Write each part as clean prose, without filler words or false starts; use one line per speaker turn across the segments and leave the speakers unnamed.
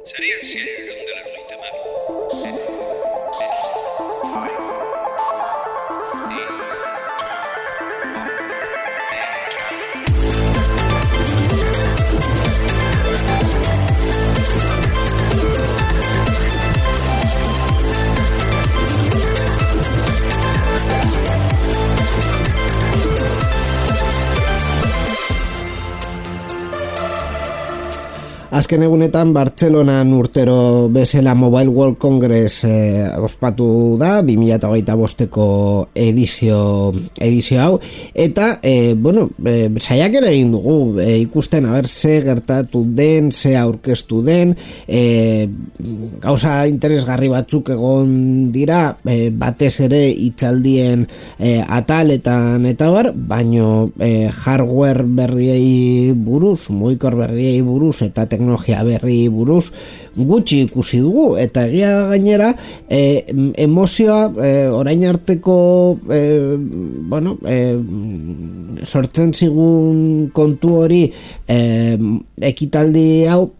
Serían 100 de la Lolita Mar.
Azken egunetan Bartzelonan urtero bezala Mobile World Congress ospatu da 2025ko edizio hau eta saiakera egin dugu ikusten ze gertatu den, ze aurkeztu den, gauza interesgarri batzuk egon dira, batez ere hitzaldien ataletan eta bar, baino hardware berriei buruz, mugikor berriei buruz eta teknologia berri buruz gutxi ikusi dugu, eta egia gainera emozioa orain arteko sortzen zigun kontu hori ekitaldi hau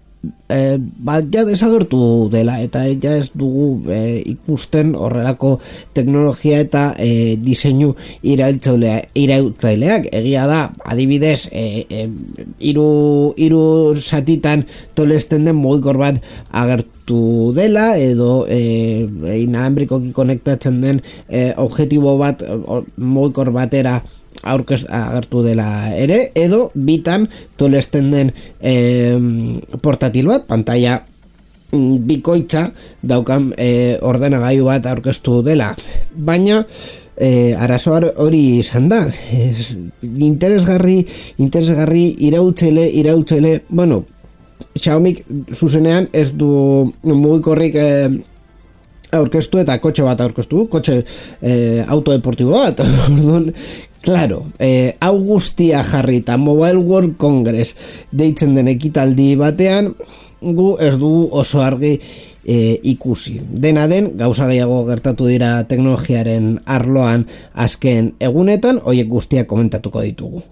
ja desagertu dela, eta ja ez dugu ikusten horrelako teknologia eta diseinu iraultzaileak. Egia da, adibidez, hiru satitan tolesten den mugikor bat agertu dela, edo inalambrikoki konektatzen den objektibo bat mugikor batera agertu dela ere, edo bitan tolesten den portatil bat, pantalla bikoitza daukan ordenagailu bat aurkeztu dela, baina arazoa hori izan da, interesgarri iraultzaile, Xiaomik zuzenean ez du mugikorrik aurkeztu eta kotxe bat aurkeztu, autodeportibo bat, orduan. Claro, hau guztia jarri eta Mobile World Congress deitzen den ekitaldi batean, gu ez dugu oso argi ikusi. Dena den, gauza gehiago gertatu dira teknologiaren arloan azken egunetan, horiek guztiak komentatuko ditugu.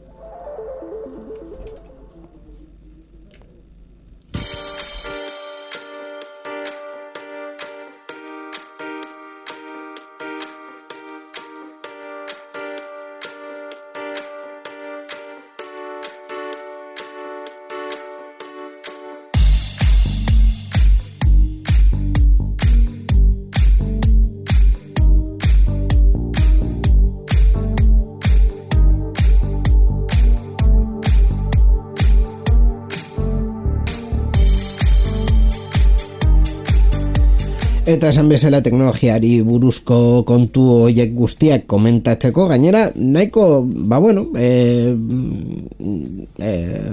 Eta esan bezala teknologiari buruzko kontu horiek guztiak komentatzeko, gainera nahiko,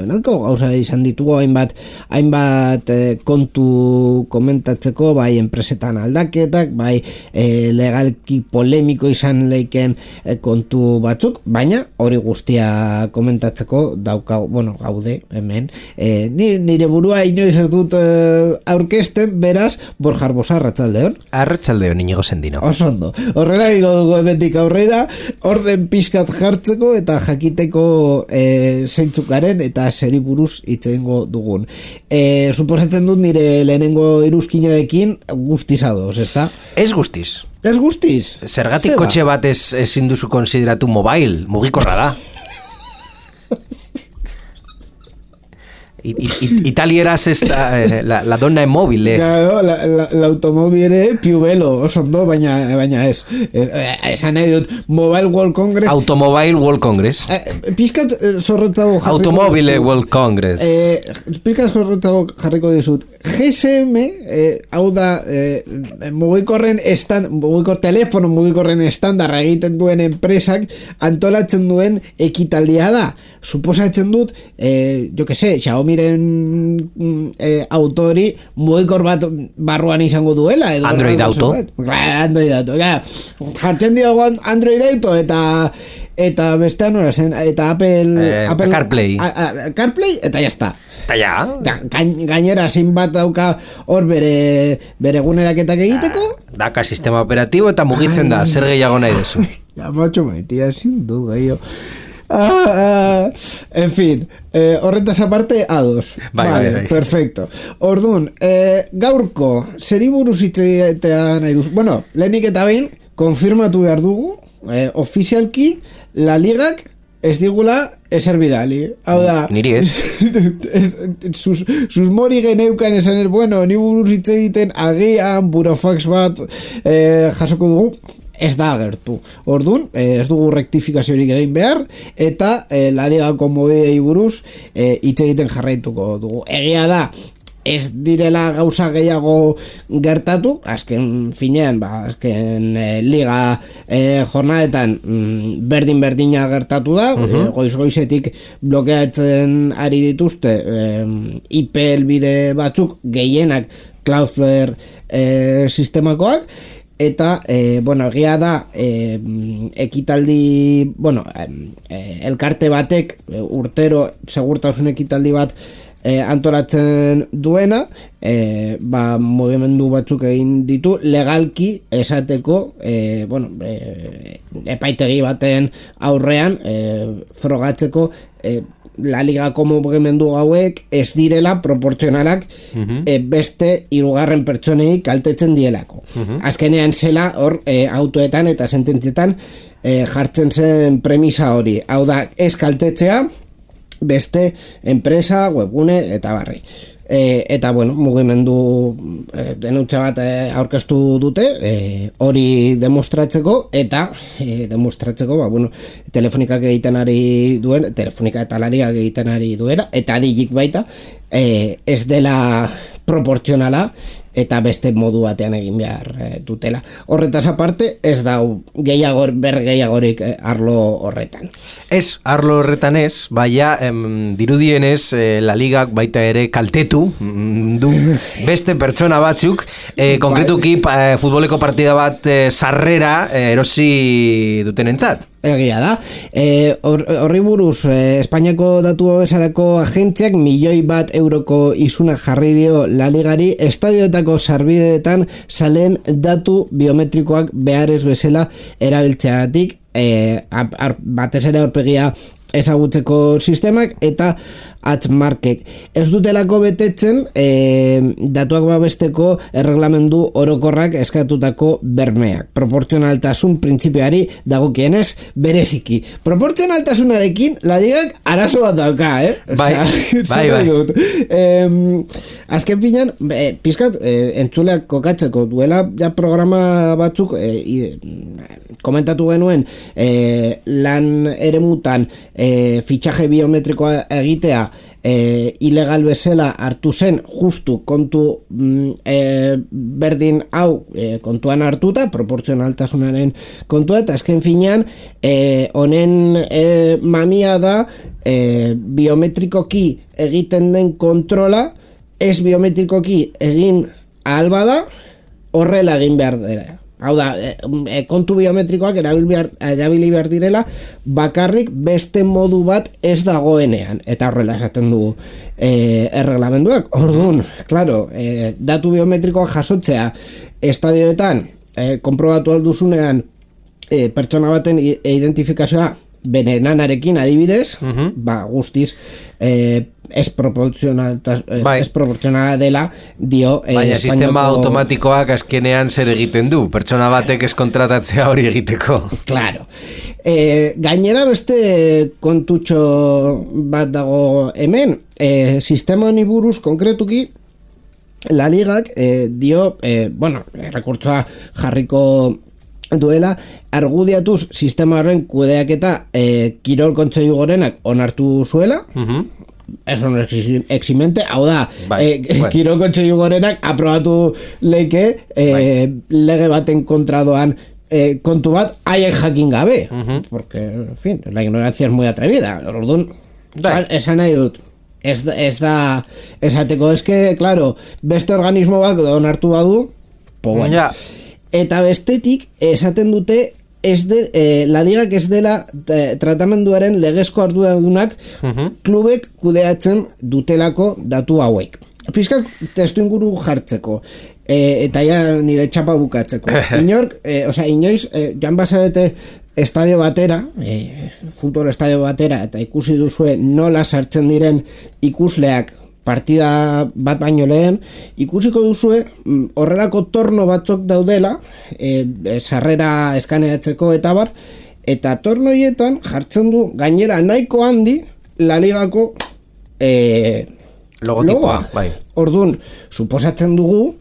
nahiko gauza izan ditugu hainbat kontu komentatzeko, bai enpresetan aldaketak, bai legalki polemiko izan leiken kontu batzuk, baina hori guztia komentatzeko gaude hemen. Nire burua inoiz ez dut aurkezten, beraz, Borja Arbosa,
Arratsaldeon Inigo Sendino.
Oso ondo. Horrela digo dugu emetik aurrera, orden pixkat jartzeko eta jakiteko zeintzukaren eta zeri buruz itzengo dugun. Suposatzen dut nire lehenengo iruzkinarekin guztiz adoz, ezta?
Ez guztiz.
Ez guztiz?
Zergatik kotxe bat ezin duzu konsideratu mobile, mugikorra da. Italieraz ez da la donna è mobile.
Claro, l'automobile più bello, oso ondo, baina ez. Esan nahi dut, Mobile World Congress.
Automobile World Congress.
Pizkat zorrotzago jarriko.
Automobile World Congress.
Pizkat zorrotzago jarriko dizut. GSM, hau da, mugikorren estandarra egiten duen enpresak antolatzen duen ekitaldia da. Suposatzen dut, Xiaomiren autori mugikor bat barruan izango duela, edo
Android Auto.
Android Auto, jartzen diogu Android Auto eta bestean hori zen, eta Apple
CarPlay.
CarPlay, eta jazta.
Gainera,
zin bat dauka hor bere eguneraketak egiteko.
Daka sistema operatibo eta mugitzen da, zer gehiago nahi duzu.
Ja, macho maitia, ezin du gehiago. En fin, horretaz aparte, ados.
Bai.
Perfecto. Orduan, gaurko, zeri buruz itean nahi duz. Bueno, lehenik eta behin, konfirmatu behar dugu, ofizialki, La Ligak ez digula ezer bidali. Hau da...
Niri ez.
Sus mori geneukan esan ez, bueno, ni buruz hitz egiten agian, burofax bat jasoko dugu, ez da agertu. Orduan, ez dugu rektifikaziorik egin behar, eta La Ligako modei buruz hitz egiten jarraituko dugu. Egia da, ez direla gauza gehiago gertatu, azken finean, azken liga jornadetan berdin-berdina gertatu da, goiz-goizetik blokeatzen ari dituzte IP helbide batzuk gehienak Cloudflare sistemakoak, eta, egia da, ekitaldi, elkarte batek urtero segurtasun ekitaldi bat antolatzen duena, mugimendu batzuk egin ditu legalki esateko, epaitegi baten aurrean frogatzeko La Ligako mugimendu hauek ez direla proportzionalak beste hirugarren pertsonei kaltetzen dielako. Azkenean zela hor autoetan eta sententzietan jartzen zen premisa hori. Hau da, ez kaltetzea beste enpresa, webgune eta barri. Eta mugimendu denutza bat aurkeztu dute hori demostratzeko eta telefonikak egiten ari duen, telefonika eta La Ligak egiten ari duena, eta Digik baita ez dela proportzionala eta beste modu batean egin behar dutela. Horretaz aparte, ez dau gehiagorik arlo horretan.
Ez, arlo horretan ez, baina dirudienez La Ligak baita ere kaltetu du beste pertsona batzuk, konkretuki futboleko partida bat sarrera erosi dutenentzat.
Egia da. Horri buruz, Espainiako datu babesarako agentziak €1.000.000 isuna jarri dio La Ligari estadioetako sarbideetan salen datu biometrikoak beharrez bezala erabiltzeagatik, batez ere aurpegia ezagutzeko sistemak eta hatchmarkek. Ez dutelako betetzen datuak babesteko erreglamendu orokorrak eskatutako bermeak. Proportzionaltasun printzipioari dagokienez bereziki. Proportzionaltasunarekin La Ligak arazo bat dauka,
Bai.
Azken finan, pizkat entzuleak kokatzeko duela ja programa batzuk komentatu genuen lan eremutan fitxaje biometrikoa egitea ilegal bezala hartu zen justu kontu berdin hau kontuan hartuta, proportzionaltasunaren kontua, eta azken finean honen mamia da biometrikoki egiten den kontrola ez biometrikoki egin ahal bada horrela egin behar dela. Hau da, kontu biometrikoak erabili behar direla bakarrik beste modu bat ez dagoenean, eta horrela esaten dugu erreglamenduak. Orduan, claro, datu biometrikoak jasotzea estadioetan konprobatu alduzunean pertsona baten identifikazioa benenanarekin adibidez, guztiz ez proportzionala dela dio
baina sistema automatikoak azkenean zer egiten du, pertsona batek ez kontratatzea hori egiteko.
Claro. Gainera beste kontutxo bat dago hemen, sistema honi buruz konkretuki La Ligak dio, rekurtsoa jarriko duela, argudiatuz sistema horren kudeaketa Kirol Kontseilu Gorenak onartu zuela, eso no eximente, hau da, Kirol Kontseilu Gorenak aprobatu leike lege baten kontra doan kontu bat haien jakin gabe, porque, en fin, la ignorancia es muy atrevida. Orduan, esan nahi dut, ez da esateko, eske, claro, beste organismo bat onartu badu, bueno. Eta bestetik esaten dute La Ligak ez dela tratamenduaren legezko arduradunak klubek kudeatzen dutelako datu hauek. Pizkak testu inguru jartzeko eta ja nire txapa bukatzeko. Inoiz, joan bazarete estadio batera, futbol estadio batera, eta ikusi duzue nola sartzen diren ikusleak partida bat baino lehen, ikusiko duzue horrelako torno batzuk daudela, sarrera eskaneatzeko eta bar, eta torno hietan jartzen du gainera nahiko handi La Ligako logoa.
Bai.
Orduan, suposatzen dugu,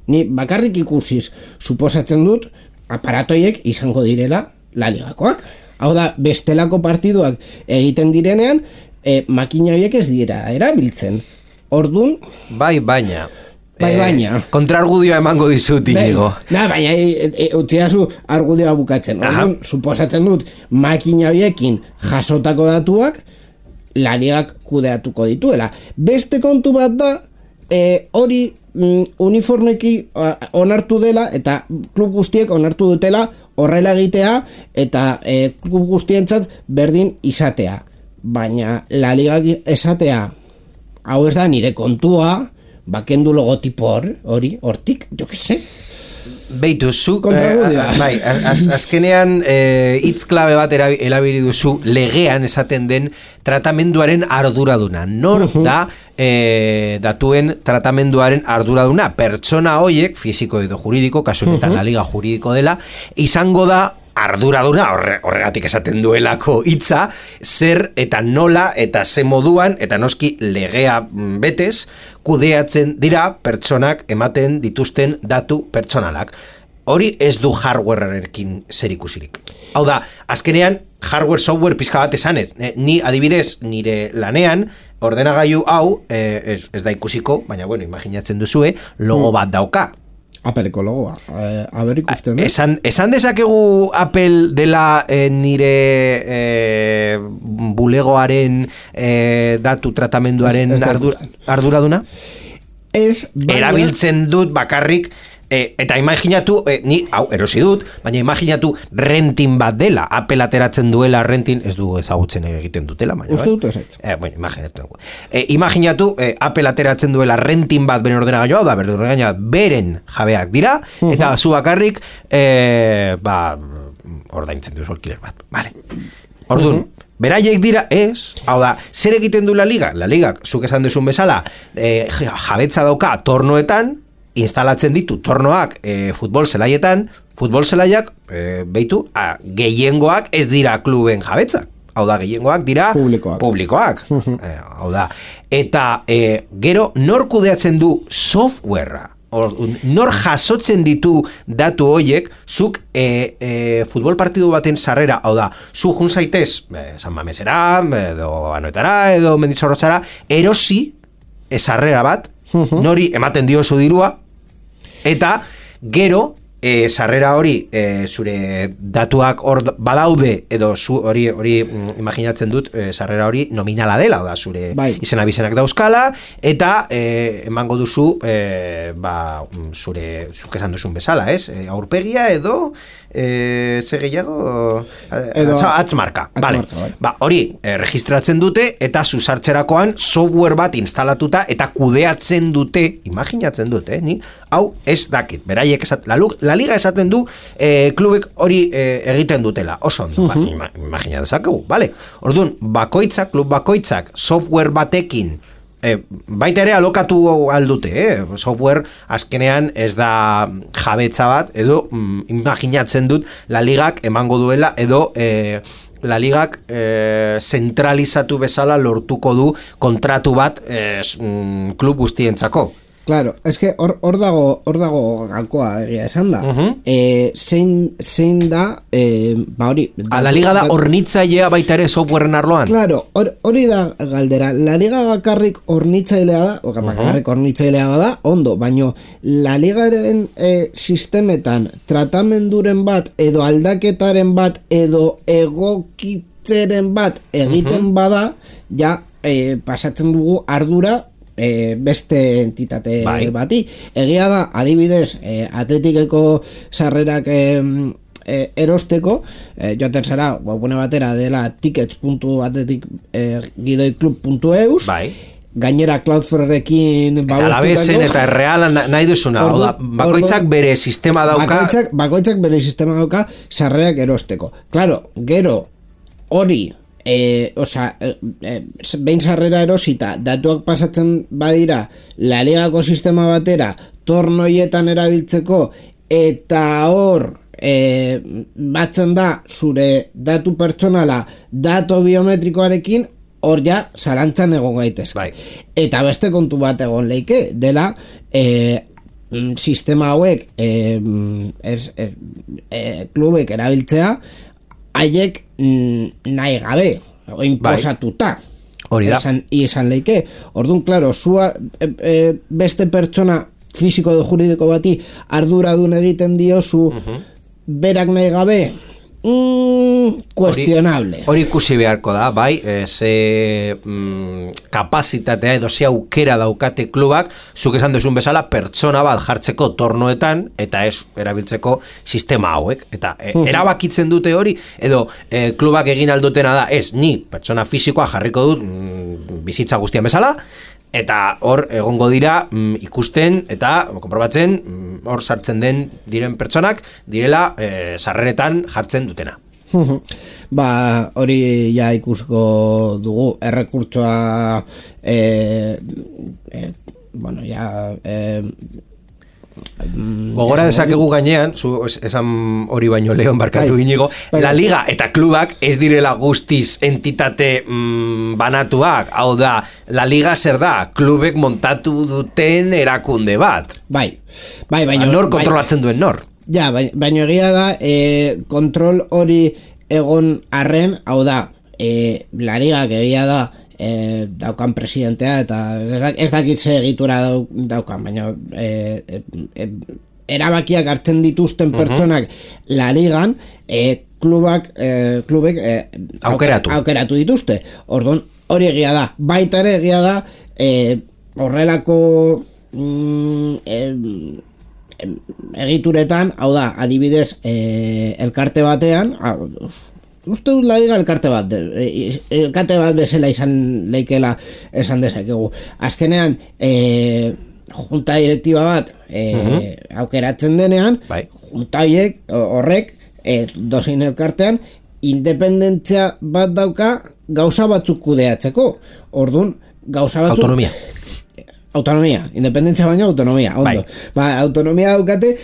ni bakarrik ikusiz, suposatzen dut, aparatoiek izango direla La Ligakoak. Hau da, bestelako partiduak egiten direnean, makina horiek ez dira erabiltzen. Orduan...
Bai, baina...
baina...
kontrargudioa emango dizut, Inigo.
Baina, utzidazu argudioa bukatzen. Orduan, suposatzen dut, makina horiekin jasotako datuak, La Ligak kudeatuko dituela. Beste kontu bat da, hori uniformeki onartu dela, eta klub guztiek onartu dutela horrela egitea, eta klub guztientzat berdin izatea. Baina, La Ligak esatea, hau ez da nire kontua, bakendu logotipo hori, hortik, jo que se.
Beitu, zu,
bai,
azkenean hitz klabe bat erabili duzu legean esaten den tratamenduaren arduraduna. Nor da datuen tratamenduaren arduraduna? Pertsona hoiek, fisiko edo juridiko, kasu honetan La Liga juridiko dela, izango da arduraduna, horregatik esaten duelako hitza, zer eta nola eta ze moduan, eta noski legea betez, kudeatzen dira pertsonak ematen dituzten datu pertsonalak. Hori ez du hardwarearekin zer ikusirik. Hau da, azkenean, hardware, software pizka bat esanez. Ni adibidez, nire lanean, ordenagailu hau, ez da ikusiko, baina bueno, imaginatzen duzue, logo bat dauka.
Apeleko logoa, aber ikusten da.
Esan dezakegu Apple dela nire bulegoaren datu tratamenduaren arduraduna? Erabiltzen dut bakarrik, eta imaginatu, ni, hau, erosi dut, baina imaginatu rentin bat dela, Apple ateratzen duela rentin, ez du ezagutzen egiten dutela, baina,
uste dut ezaitz.
Bueno, imaginatu, Apple ateratzen duela rentin bat beren ordenagailoa, da, beren ordenagailoa beren jabeak dira, eta zu bakarrik, ordaintzen duzu alkiler bat, vale. Orduan, beraiek dira, ez, hau da, zer egiten du La Liga? La Ligak, zuk esan duzun bezala, jabetza dauka tornoetan, instalatzen ditu tornoak futbol zelaietan, futbol zelaiak, beitu, gehiengoak ez dira kluben jabetzak. Hau da, gehiengoak dira publikoak. Hau da, eta gero nor kudeatzen du softwarea? Nor jasotzen ditu datu hoiek, zuk futbol partidu baten sarrera, hau da, zu jun zaitez, San Mamesera, edo Anoetara, edo Mendizorrotzara, erosi sarrera bat, nori ematen diozu dirua, eta gero sarrera hori zure datuak hor badaude, edo zu hori imaginatzen dut sarrera hori nominala dela, da zure izena bizenak dauzkala, eta emango duzu zure zuk esan duzun bezala, ez? Aurpegia edo ze gehiago atzmarka, vale. Hori registratzen dute, eta zu sartzerakoan software bat instalatuta eta kudeatzen dute, imaginatzen dute, ni hau ez dakit, beraiek La Liga esaten du klubek hori egiten dutela, oso ondo, imagina dezakegu, vale? Orduan, klub bakoitzak software batekin baita ere alokatu aldute, software azkenean ez da jabetza bat, edo imaginatzen dut La Ligak emango duela, edo La Ligak zentralizatu bezala lortuko du kontratu bat klub guztientzako.
Claro, eske hor dago galkoa egia esan da. Zein da, hori...
La Liga da hornitzailea baita ere softwaren arloan?
Claro, hori da galdera. La Liga bakarrik hornitzailea da, bakarrik hornitzailea da, ondo, baino La Ligaren sistemetan tratamenduren bat, edo aldaketaren bat, edo egokitzeren bat egiten bada, ja pasatzen dugu ardura beste entitate bati. Egia da, adibidez, Atletikeko sarrerak erosteko, joaten zara webgune batera dela tickets.atletikgidoiclub.eus, gainera Cloudflarekin
eta Alavezen eta Realan nahi duzuna, bakoitzak bere sistema dauka.
Bakoitzak bere sistema dauka sarrerak erosteko. Claro, gero hori behin sarrera erosita datuak pasatzen badira La Ligako sistema batera tornoietan erabiltzeko eta hor batzen da zure datu pertsonala datu biometrikoarekin, hor ja zalantzan egon gaitezke.
Bai.
Eta beste kontu bat egon leike dela sistema hauek klubek erabiltzea haiek nahi gabe imposatuta.
Hori da.
Izan leike. Orduan, klaro, zua beste pertsona fisiko edo juridiko bati arduradun egiten diozu berak nahi gabe kuestionable.
Hori ikusi beharko da, bai, ze kapazitatea edo ze aukera daukate klubak, zuk esan duzun bezala, pertsona bat jartzeko tornoetan, eta ez erabiltzeko sistema hauek. Eta erabakitzen dute hori, edo klubak egin aldutena da, ez, ni pertsona fisikoa jarriko dut bizitza guztian bezala, eta hor egongo dira ikusten eta konprobatzen hor sartzen diren pertsonak direla sarreretan jartzen dutena.
Hori ja ikusko dugu errekurtsoa
gogora dezakegu gainean, zu esan hori baino Leon barkatu Inigo, La Liga eta klubak ez direla guztiz entitate banatuak, hau da, La Liga zer da, klubek montatu duten erakunde bat.
Baina
nor kontrolatzen duen nor.
Ja, baina egia da, kontrol hori egon arren, hau da, La Liga egia da, daukan presidentea eta ez dakit ze egitura daukan, baina erabakiak hartzen dituzten pertsonak La Ligan klubek aukeratu dituzte. Orduan, hori egia da. Baita ere egia da horrelako egituretan, hau da, adibidez elkarte batean, uste dut La Liga elkarte bat bezala izan leikela esan dezakegu. Azkenean junta direktiba bat aukeratzen denean, junta horrek dozein elkartean independentzia bat dauka gauza batzuk kudeatzeko. Orduan, gauza batzuk autonomia, independentzia baina autonomia, ondo. Autonomia daukate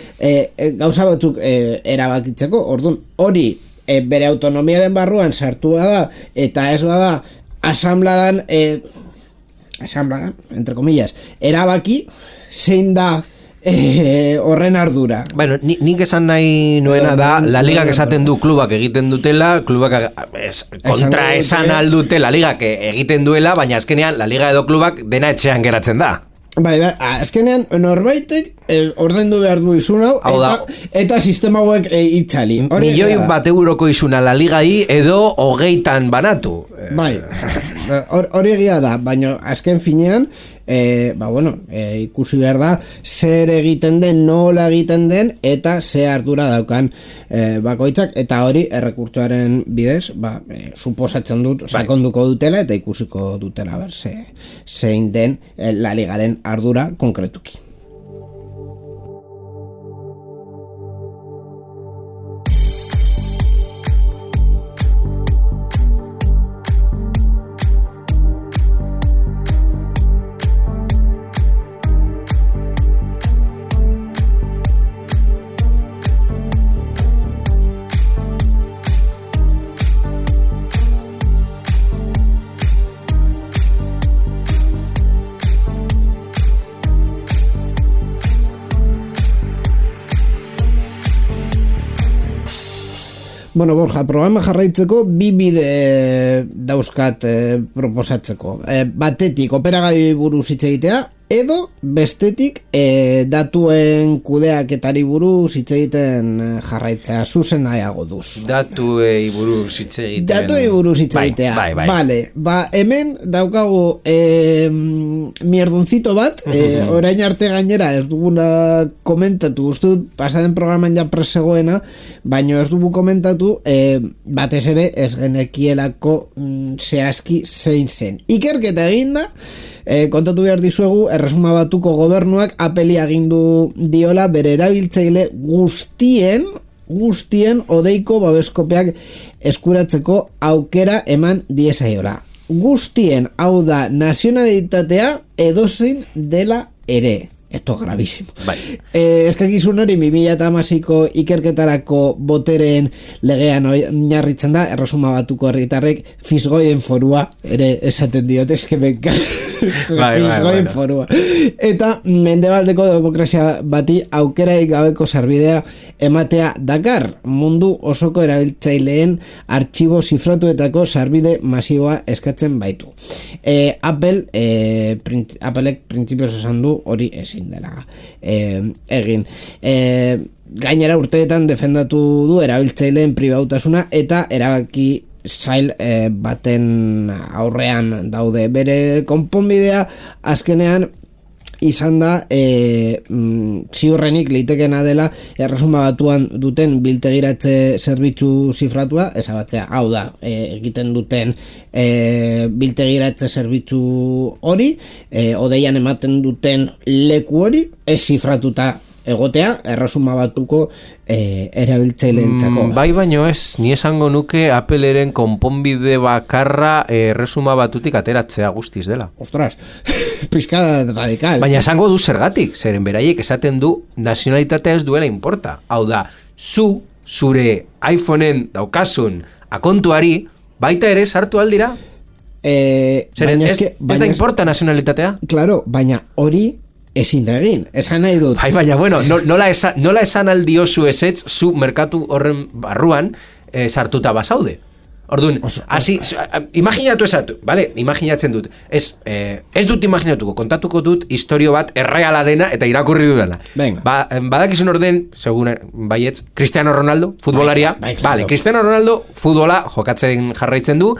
gauza batzuk erabakitzeko. Orduan, hori bere autonomiaren barruan sartua da eta ez bada asambladan entre comillas erabaki zein da horren ardura.
Bueno, nik esan nahi nuena da La Ligak esaten du klubak egiten dutela, klubak kontra esan aldute La Ligak egiten duela, baina azkenean La Liga edo klubak dena etxean geratzen da.
Azkenean norbaitek ordaindu behar du izun hau eta sistema hauek itzali.
Milioi bat euroko izuna La Ligai edo 20 banatu.
Hori egia da, baina azken finean ikusi behar da zer egiten den, nola egiten den eta ze ardura daukan bakoitzak, eta hori errekurtsoaren bidez suposatzen dut sakonduko dutela eta ikusiko dutela zein den La Ligaren ardura konkretuki. Bueno, Borja, programa jarraitzeko bi bide dauzkat proposatzeko. Batetik, operagaioi buruz hitz egitea, edo bestetik datuen kudeaketari buruz hitz egiten jarraitzea. Zuzen nahiago duz.
Datuei buruz hitz egiten.
Datuei buruz hitz egitea. Vale, hemen daukagu mierdoncito bat, orain arte gainera ez duguna komentatu, uste dut pasaden programan ja presegoena, baino ez dugu komentatu batez ere ez genekielako zehazki zein zen. Ikerketa eginda, Kontatu behar dizuegu, Erresuma Batuko gobernuak Appleri agindu diola bere erabiltzaile guztien odeiko babeskopeak eskuratzeko aukera eman diezaiola. Guztien, hau da, nazionalitatea edozein dela ere. Esto gravísimo.
Bai.
Eskakizun hori 2016ko ikerketarako boteren legean oinarritzen da, Erresuma Batuko herritarrek fisgoien forua ere esaten diot, eskemenka. Fisgoien forua. Eta mendebaldeko demokrazia bati aukeraik gabeko sarbidea ematea dakar, mundu osoko erabiltzaileen artxibo zifratuetako sarbide masiboa eskatzen baitu. Applek printzipioz esan du hori ezin dela egin. Gainera urteetan defendatu du erabiltzaileen pribautasuna eta erabaki zail baten aurrean daude. Bere konponbidea azkenean izan da ziurrenik litekena dela Erresuma Batuan duten biltegiratze zerbitzu zifratua ezabatzea, hau da, egiten duten biltegiratze zerbitzu hori, odeian ematen duten leku hori ez zifratuta egotea Erresuma Batuko erabiltzaileentzako.
Bai, baino ez, ni esango nuke Appleren konponbide bakarra Erresuma Batutik ateratzea guztiz dela.
Ostras, pizkada radikal.
Baina esango du zergatik, zeren beraiek esaten du nazionalitatea ez duela importa. Hau da, zure iPhoneen daukasun akontuari baita ere sartu aldira? Zeren ez da importa nazionalitatea?
Claro, baina hori ezin da egin, esan nahi dut.
Baina, bueno, nola esan aldiozu ezetz, zu merkatu horren barruan sartuta basaude. Orduan, imaginatu esatu, vale? Imaginatzen dut. Ez dut imaginatuko, kontatuko dut historio bat erreala dena eta irakurri dudana. Badakizun orden, segun baietz, Cristiano Ronaldo, futbolaria. Vale, Cristiano Ronaldo, futbola jokatzen jarraitzen du.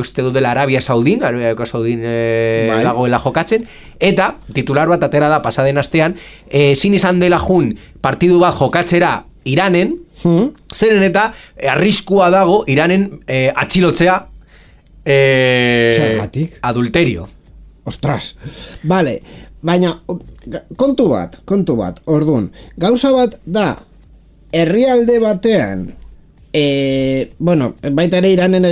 Uste dut dela Arabia Saudin dagoela jokatzen. Eta, titular bat atera da pasaden astean, zin izan dela jun partidu bat jokatzera Iranen, zeren eta arriskua dago Iranen atxilotzea adulterio.
Ostras, vale, baina kontu bat, orduan, gauza bat da herrialde batean bueno, baita ere Iranen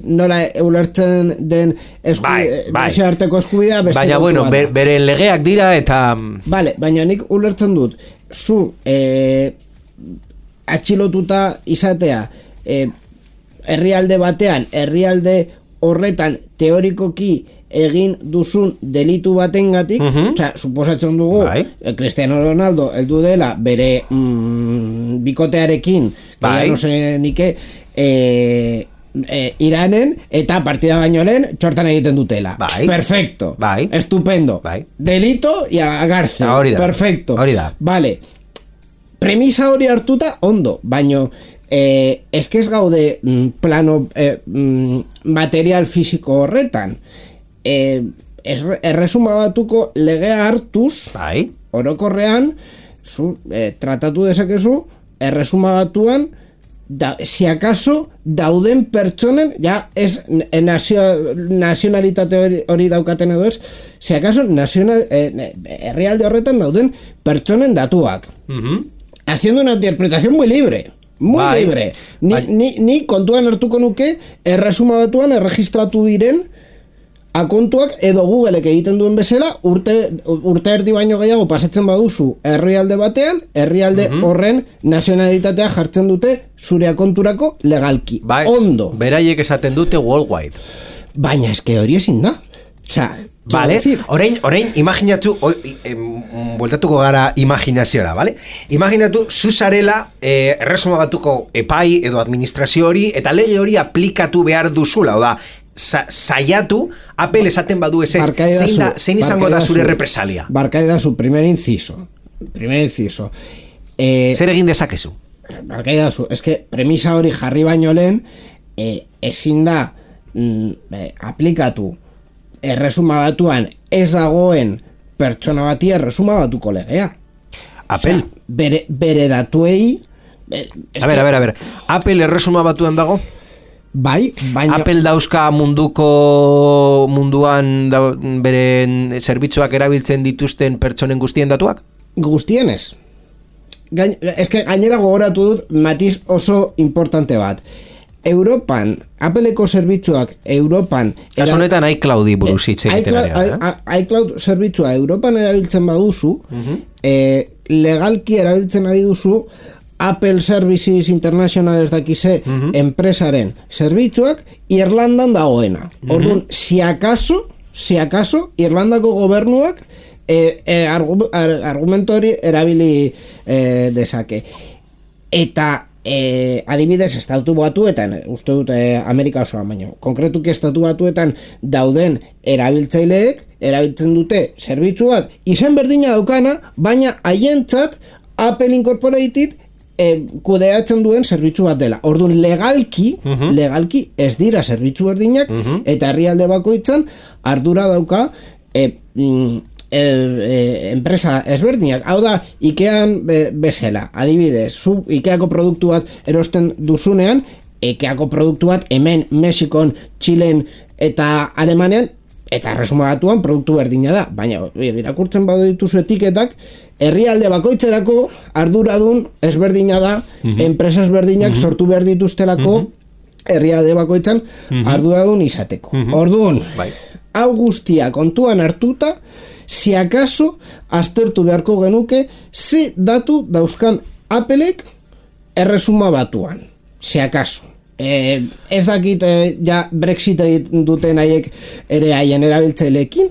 nola ulertzen den arteko eskubidea
baina bueno, bere legeak dira eta
vale, baina nik ulertzen dut zu atxilotuta izatea herrialde batean, herrialde horretan teorikoki egin duzun delitu batengatik, suposatzen dugu Cristiano Ronaldo heldu dela bere bikotearekin, no sé nike Iranen eta partida baino lehen txortan egiten dutela. Perfecto. Estupendo. Delito y a cárcel. Perfecto. Vale. Premisa hori hartuta ondo, baino eske ez gaude plano material fisiko horretan. Erresuma Batuko legea hartuz, orokorrean tratatu dezakezu Erresuma Batuan si acaso dauden pertsonen ja ez nazionalitate hori daukaten edo ez, si acaso herrialde horretan dauden pertsonen datuak. Haciendo una interpretación muy libre. Libre. Ni kontuan hartuko nuke Erresuma Batuan erregistratu diren akontuak edo Googleek egiten duen bezala urte erdi baino gehiago pasatzen baduzu herrialde batean, herrialde horren nazionalitatea jartzen dute zure akonturako legalki. Ondo.
Beraiek esaten dute worldwide.
Baina eske hori ezin da.
Vale, orain imaginatu bueltatuko gara imaginaziora, vale? Imaginatu zuzarela Erresuma Batuko epai edo administrazio hori eta lege hori aplikatu behar duzula, oda saiatu, Apple esaten badu ez zein izango da zure represalia.
Barkai da zu, primer inciso.
Zer egin dezakezu?
Barkai da zu, eske premisa hori jarri baino lehen ezin da aplikatu Erresuma Batuan ez dagoen pertsona bati Erresuma Batuko legea.
Apple?
Bere datuei...
A ver. Apple Erresuma Batuan dago?
Bai, baina...
Apple dauzka munduan beren zerbitzuak erabiltzen dituzten pertsonen guztien datuak?
Guztienez. Gainera gogoratu dut matiz oso importante bat. Europan, Appleko zerbitzuak Europan...
Kasu honetan iCloudi buruz hitz egiten ari.
iCloud zerbitzua Europan erabiltzen baduzu, legalki erabiltzen ari duzu Apple Services International ez dakize enpresaren zerbitzuak Irlandan dagoena. Orduan, si acaso, Irlandako gobernuak argumento hori erabili dezake. Eta adibidez estatu batuetan, uste dut Amerika osoan, baino konkretuki estatu batuetan dauden erabiltzaileek erabiltzen dute zerbitzu bat izen berdina daukana, baina haientzat Apple Incorporated kudeatzen duen zerbitzu bat dela. Orduan legalki ez dira zerbitzu berdinak eta herrialde bakoitzan ardura dauka enpresa ezberdinak. Hau da, Ikean bezala, adibidez, zu Ikeako produktu bat erosten duzunean, Ikeako produktu bat hemen Mexikon, Txilen eta Alemanean eta resumatuan produktu berdina da, baina irakurtzen badu dituzu etiketak, herrialde bakoitzerako arduradun ezberdina da, enpresa ezberdinak sortu behar dituztelako herrialde bakoitzan arduradun izateko. Orduan, hau guztia kontuan hartuta, si acaso aztertu beharko genuke ze datu dauzkan Applek erresuma batuan, si acaso. Ez dakit ja Brexit duten haiek ere haien erabiltzaileekin,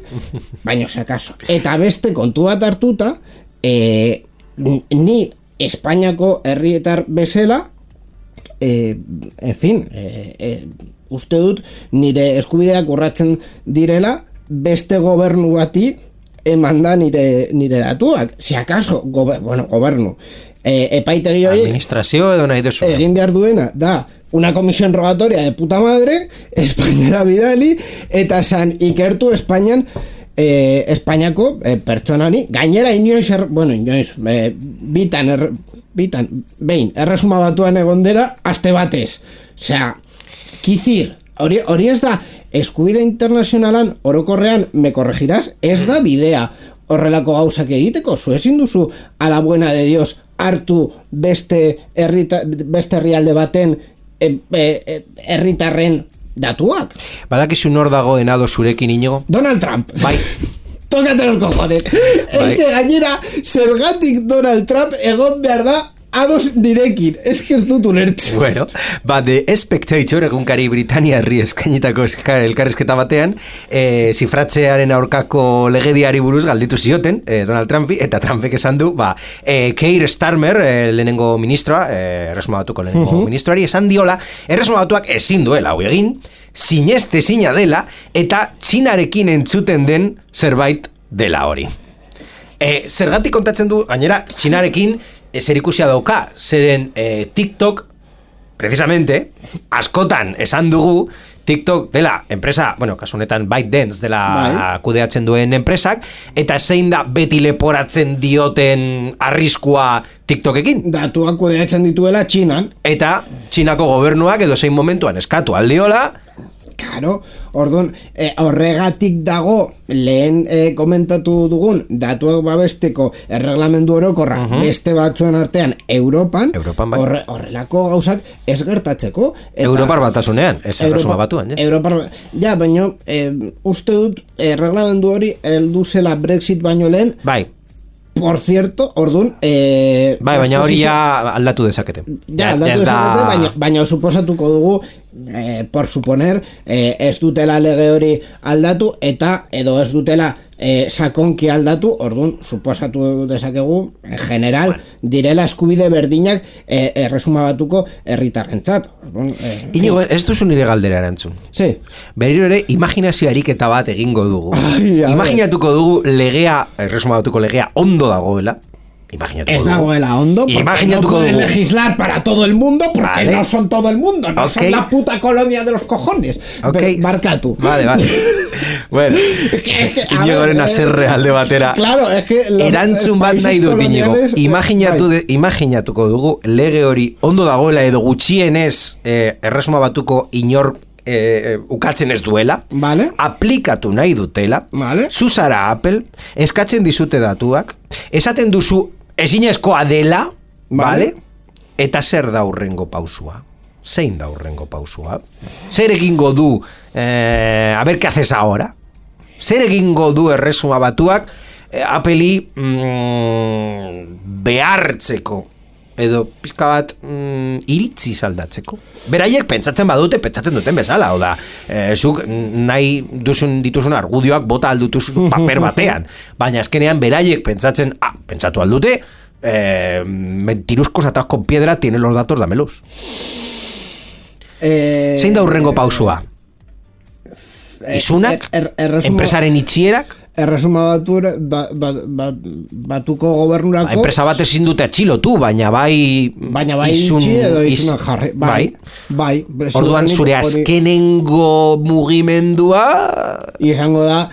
baina si acaso. Eta beste kontu bat hartuta, ni Espainiako herrietar bezala, en fin, uste dut nire eskubideak urratzen direla beste gobernu bati emanda nire datuak. Si acaso, gobernu. Epaitegi hori
administrazio edo nahi duzu.
Egin behar duena, da, una comisión rogatoria de puta madre, Espainiara bidali, eta san ikertu Espainian Espainiako pertsonani, gainera inoiz, behin, erresuma batuan egondera, aste batez. Osea, kizir, hori ez da, eskubide internazionalan, orokorrean, me corregirás, ez da bidea horrelako gauzak egiteko, zu ezin duzu a la buena de Dios hartu beste herrialde baten herritarren datuak.
Badakizu nor dagoen ado zurekin, Inigo?
Donald Trump.
Bai.
Tócate los cojones. Es que gainera, zergatik Donald Trump egon behar da ados direkin, ez dut ulertzen.
Bueno, The Spectator egunkari Britaniarri eskainitako elkarrizketa batean, zifratzearen aurkako legediari buruz galditu zioten Donald Trumpi, eta Trumpek esan du, Keir Starmer, lehenengo ministroa, erresuma batuko lehenengo ministroari, esan diola, erresuma batuak ezin duela hau egin, sineste zina dela, eta Txinarekin entzuten den zerbait dela hori. Zergatik kontatzen du, gainera, Txinarekin zerikusia dauka, zeren TikTok, precisamente, askotan esan dugu, TikTok dela enpresa, kasu honetan ByteDance dela kudeatzen duen enpresak, eta zein da beti leporatzen dioten arriskua TikTokekin?
Datuak kudeatzen dituela Txinan.
Eta Txinako gobernuak edo zein momentuan eskatu aldiola.
Claro, orduan, horregatik dago lehen komentatu dugun datuak babesteko erreglamendu orokorra beste batzuen artean Europan
bai.
Horrelako gauzak ez gertatzeko.
Europar batasunean, ez erresuma batuan.
Ja, baina uste dut erreglamendu hori heldu zela Brexit baino lehen.
Bai.
Por cierto, orduan...
baina hori ja aldatu dezakete.
Ja, aldatu dezakete, baina suposatuko dugu, por suponer, ez dutela lege hori aldatu, eta edo ez dutela sakonki aldatu, orduan, suposatu dezakegu, en general, direla eskubide berdinak erresuma batuko herritarrentzat.
Inigo, ez duzu nire galdera erantzun.
Sí.
Berriro ere, imaginazio ariketa bat egingo dugu. Imaginatuko dugu legea, erresuma batuko legea, ondo dagoela, Imaginatuko
ez dagoela ondo, porque
Imaginatuko
no pueden
dugu.
legislar para todo el mundo, porque
Vale.
no son todo el mundo, no
Ok.
son la puta colonia de los cojones.
Ok.
Pero, markatu.
Vale. Bueno,
a
Inigoren
ver,
haserre alde batera.
Claro, es que los
Erantzun bat
países
nahi dut, Inigo.
coloniales,
Imaginatuko dugu lege hori ondo dagoela edo gutxienez erresuma batuko inor ukatzen ez duela,
Vale.
aplikatu nahi dutela,
Vale.
zuzara Apple, eskatzen dizute datuak, esaten duzu ezinezkoa dela,
Vale.
Eta zer da hurrengo pausua? Zein da hurrengo pausua? Zer egingo du, a ver, ¿qué haces ahora? Zer egingo du erresuma batuak Apple'i behartzeko edo pizka bat iritzi aldatzeko. Beraiek pentsatzen badute, pentsatzen duten bezala, hau da, zuk nahi dituzun argudioak bota aldutuzun paper batean, baina azkenean beraiek pentsatu aldute, mentiruzkos atados con piedra, tienen los datos, dámelos. Zein da hurrengo pausua? Isunak? Enpresaren itxierak?
Erresuma batuko gobernurako
Enpresa bat ezin dute atxilotu, baina bai
itxi edo isunak jarri. Bai.
Orduan zure azkenengo mugimendua
izango da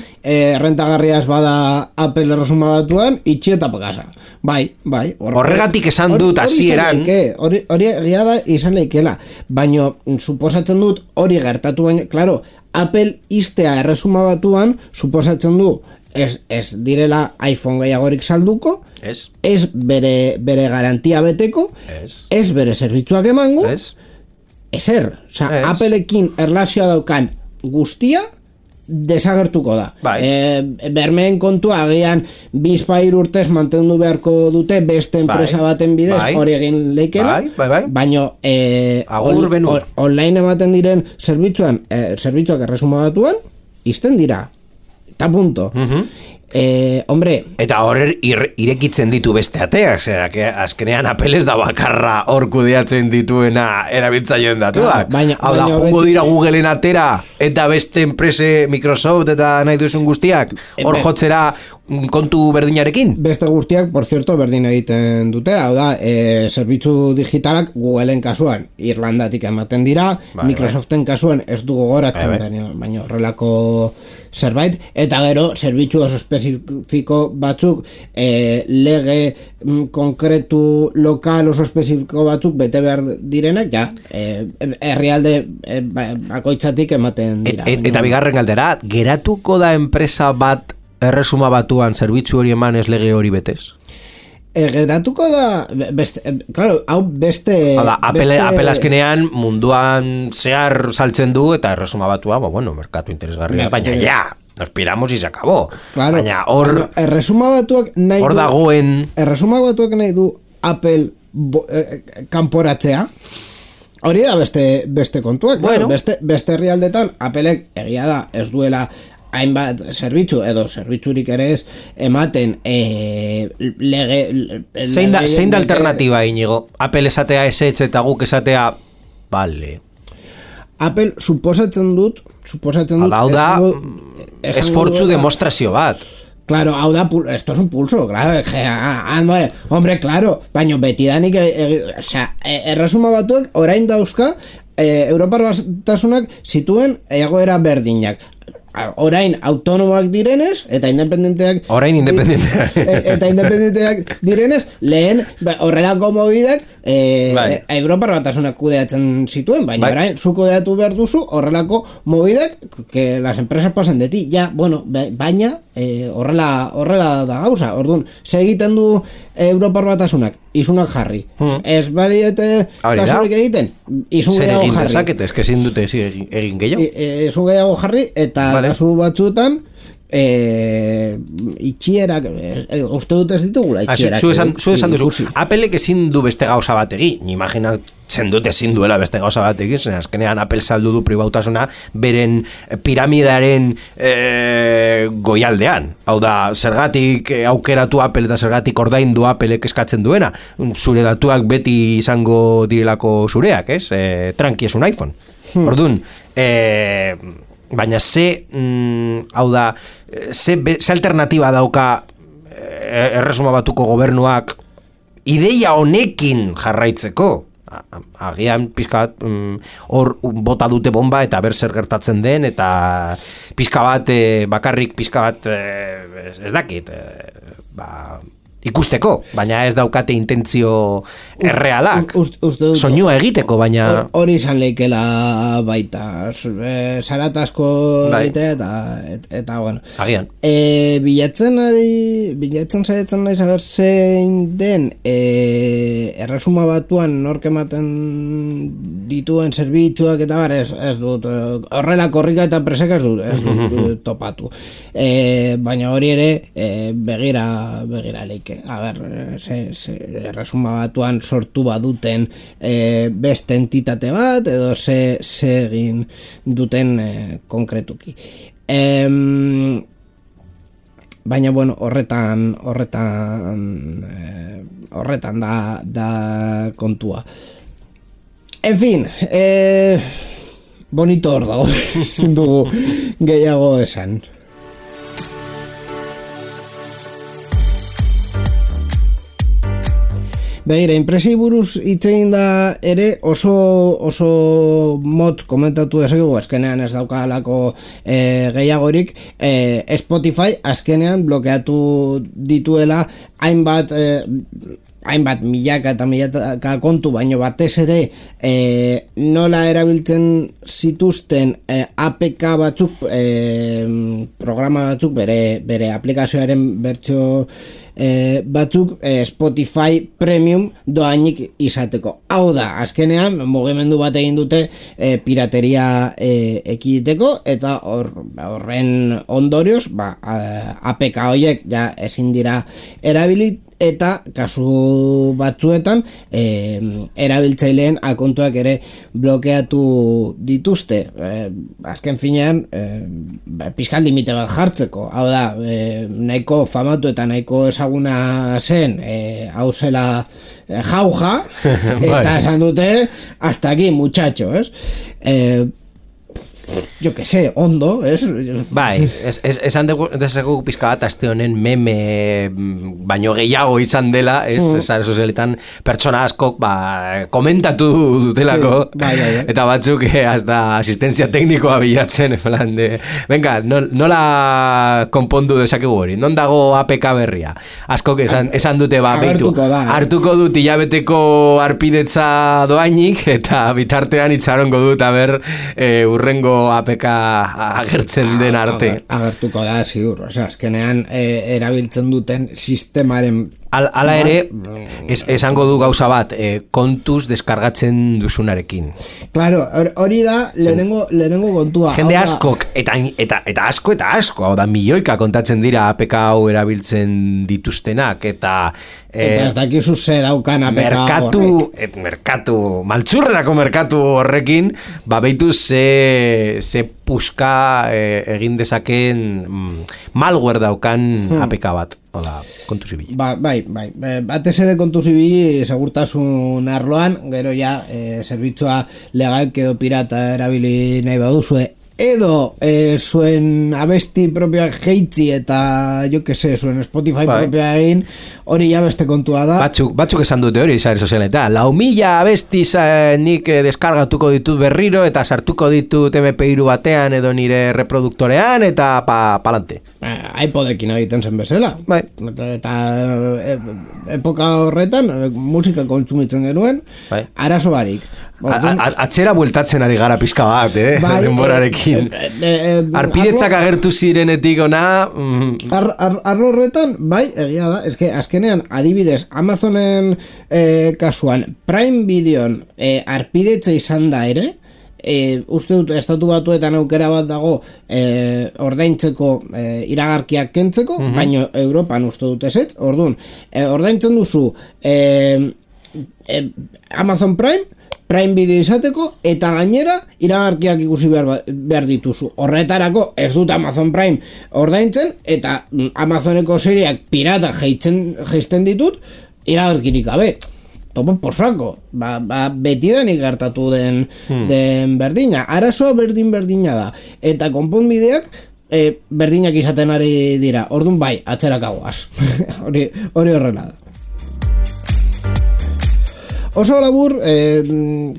rentagarriaz bada Apple erresuma batuan itxi eta pakasa. Bai.
Horregatik esan dut hasieran.
Hori egia da izan leikela, baina suposatzen dut hori gertatu baina, claro, Apple iztea erresuma batuan suposatzen du ez direla iPhone gehiagorik salduko, ez bere garantia beteko, ez bere zerbitzuak emango, ezer, Appleekin erlazioa daukan guztia desagertuko da. Bermeen kontua agian bizpair urtez mantendu beharko dute beste enpresa baten bidez hori egin leikela, baina online ematen diren zerbitzuak erresuma batuan izten dira eta punto. Hombre,
eta hor irekitzen ditu beste ateak, azkenean Apple ez da bakarra hor kudeatzen dituena erabiltzaileen datuak. Hau da, jungo dira Googleen atera eta beste enprese Microsoft eta nahi duzun guztiak hor jotzera kontu berdinarekin?
Beste guztiak, por cierto, berdin egiten dute, hau da, zerbitzu digitalak Googleen kasuan Irlandatik ematen dira, Microsoften kasuan ez du gogoratzen, baina horrelako zerbait, eta gero, zerbitzu oso espezifiko batzuk, lege konkretu lokal oso espezifiko batzuk bete behar direnak, herrialde bakoitzatik ematen dira.
Eta bigarren galdera, geratuko da enpresa bat erresuma batuan zerbitzu hori eman ez lege hori betez?
Geratuko da claro, hau beste
Apple azkenean munduan zehar saltzen du eta erresuma batua, merkatu interesgarria, baina nos piramos y se acabó. Baina hor
erresuma batuak nahi
hor dagoen
erresuma batuak nahi du Apple kanporatzea. Hori da beste kontuak, beste herrialdetan Appleek egia da ez duela hainbat zerbitzu edo zerbitzurik ere ez ematen
zein da alternatiba, Inigo? Apple esatea esetz eta guk esatea vale.
Apple suposatzen dut
hau da esfortzu demostrazio bat.
Claro, hau da, esto es un pulso, claro, hombre, claro, baina betidanik, erresuma batuak orain dauzka, Europar Batasunak zituen egoera berdinak. Orain autonomoak direnez eta independenteak direnez, lehen horrelako mobidak Europar Batasunak kudeatzen zituen, baina orain zu kudeatu behar duzu horrelako mobidak que las empresas pasen de ti, baina horrela da gauza. Orduan, segiten du Europar Batasunak isunak jarri, ez badiete kasurik egiten, isun gehiago jarri,
zer egin dezaket, eske ezin dute egin gehiago,
isun gehiago jarri eta kasu batzuetan itxierak uste dut ez ditugula itxierak.
Zu esan duzu, Appleek ezin du beste gauza bat egin, imaginatzen dut ezin duela beste gauza bat egin, azkenean Apple saldu du pribautasuna beren piramidaren goialdean. Hau da, zergatik aukeratu Apple eta zergatik ordaindu Appleek eskatzen duena, zure datuak beti izango direlako zureak, tranqui es un iPhone. Orduan, baina hau da, ze alternatiba dauka erresuma batuko gobernuak ideia honekin jarraitzeko. Agian pizka bat hor bota dute bomba eta ber zer gertatzen den, eta pizka bat bakarrik pizka bat ez dakit ikusteko, baina ez daukate intentzio errealak soinua egiteko, baina
hori izan leikela baita zaratazko eta bueno
agian
bilatzen saiatzen naiz aber zein den erresuma batuan nork ematen dituen zerbitzuak eta bar ez dut horrela korrika eta preseka ez dut topatu baina hori ere begira leike a ber, erresuma batuan sortu baduten beste entitate bat edo ze egin duten konkretuki baina bueno horretan da kontua en fin bonito hor dago ezin dugu gehiago esan. Begira, inpresi buruz hitzein da ere oso motz komentatu dezakegu, azkenean ez daukalako gehiagorik, Spotify azkenean blokeatu dituela hainbat milaka eta milaka kontu, baino batez ere nola erabiltzen zituzten APK batzuk, programa batzuk, bere aplikazioaren bertsio batzuk Spotify Premium doainik izateko. Hau da, azkenean mugimendu bat egin dute pirateria ekiditeko eta horren ondorioz APK horiek ja ezin dira erabili eta kasu batzuetan erabiltzaileen akontuak ere blokeatu dituzte. Azken finean pizkal limite bat jartzeko. Hau da, nahiko famatu eta nahiko ezaguna zen hau zela jauja eta esan dute hasta aquí muchacho, yo que sé, ondo,
Bai, esan desegu pizka bat aste honen meme baino gehiago izan dela, sare sozialetan pertsona askok komentatu dutelako,
bai.
eta batzuk hasta asistentzia teknikoa bilatzen, plan de, venga, nola konpondu dezakegu hori, non dago APK berria? Askok esan dute beitu, hartuko dut hilabeteko arpidetza doainik, eta bitartean itxarongo dut aber urrengo APK agertzen den arte.
Agertuko da, ziur. Azkenean erabiltzen duten sistemaren
Hala ere, esango du gauza bat, kontuz deskargatzen duzunarekin.
Claro, hori da lehenengo kontua.
Jende askok, eta asko, hau da milioika kontatzen dira APK hau erabiltzen dituztenak, eta
ez dakizu ze daukan APK
merkatu, maltzurrerako merkatu horrekin, beitu ze puska egin dezaken malware daukan APK bat. Oda, kontuz ibili.
Bai. Batez ere kontuz ibili segurtasun arloan, gero ja zerbitzua legal edo pirata erabili nahi baduzue, edo zuen abesti propioak jeitzi eta jo que se, zuen Spotify propioa egin, hori ja beste kontua da.
Batzuk esan dute hori sare sozialetan. 4.000 abesti nik deskargatuko ditut berriro eta sartuko ditut MP3 batean edo nire reproduktorean eta palante.
iPodekin egiten zen bezala.
Bai.
Eta epoka horretan musika kontsumitzen genuen, arazo barik.
Atzera bueltatzen ari gara pizka bat, denborarekin. Arpidetzak agertu zirenetik ona...
Arlo horretan, bai, egia da, eske azkenean, adibidez, Amazonen kasuan, Prime Videon arpidetza izan da ere, uste dut estatu batuetan aukera bat dago ordaintzeko iragarkiak kentzeko, baina Europan uste dut ezetz, orduan, ordaintzen duzu Amazon Prime Video izateko eta gainera iragarkiak ikusi behar dituzu. Horretarako ez dut Amazon Prime ordaintzen eta Amazoneko seriak pirata jeisten ditut iragarkirik gabe. Topo posako, betidanik gertatu den berdina. Arazoa berdina da. Eta konponbideak berdinak izaten ari dira. Orduan bai, atzerakagoaz. Hori horrela da. oso labur,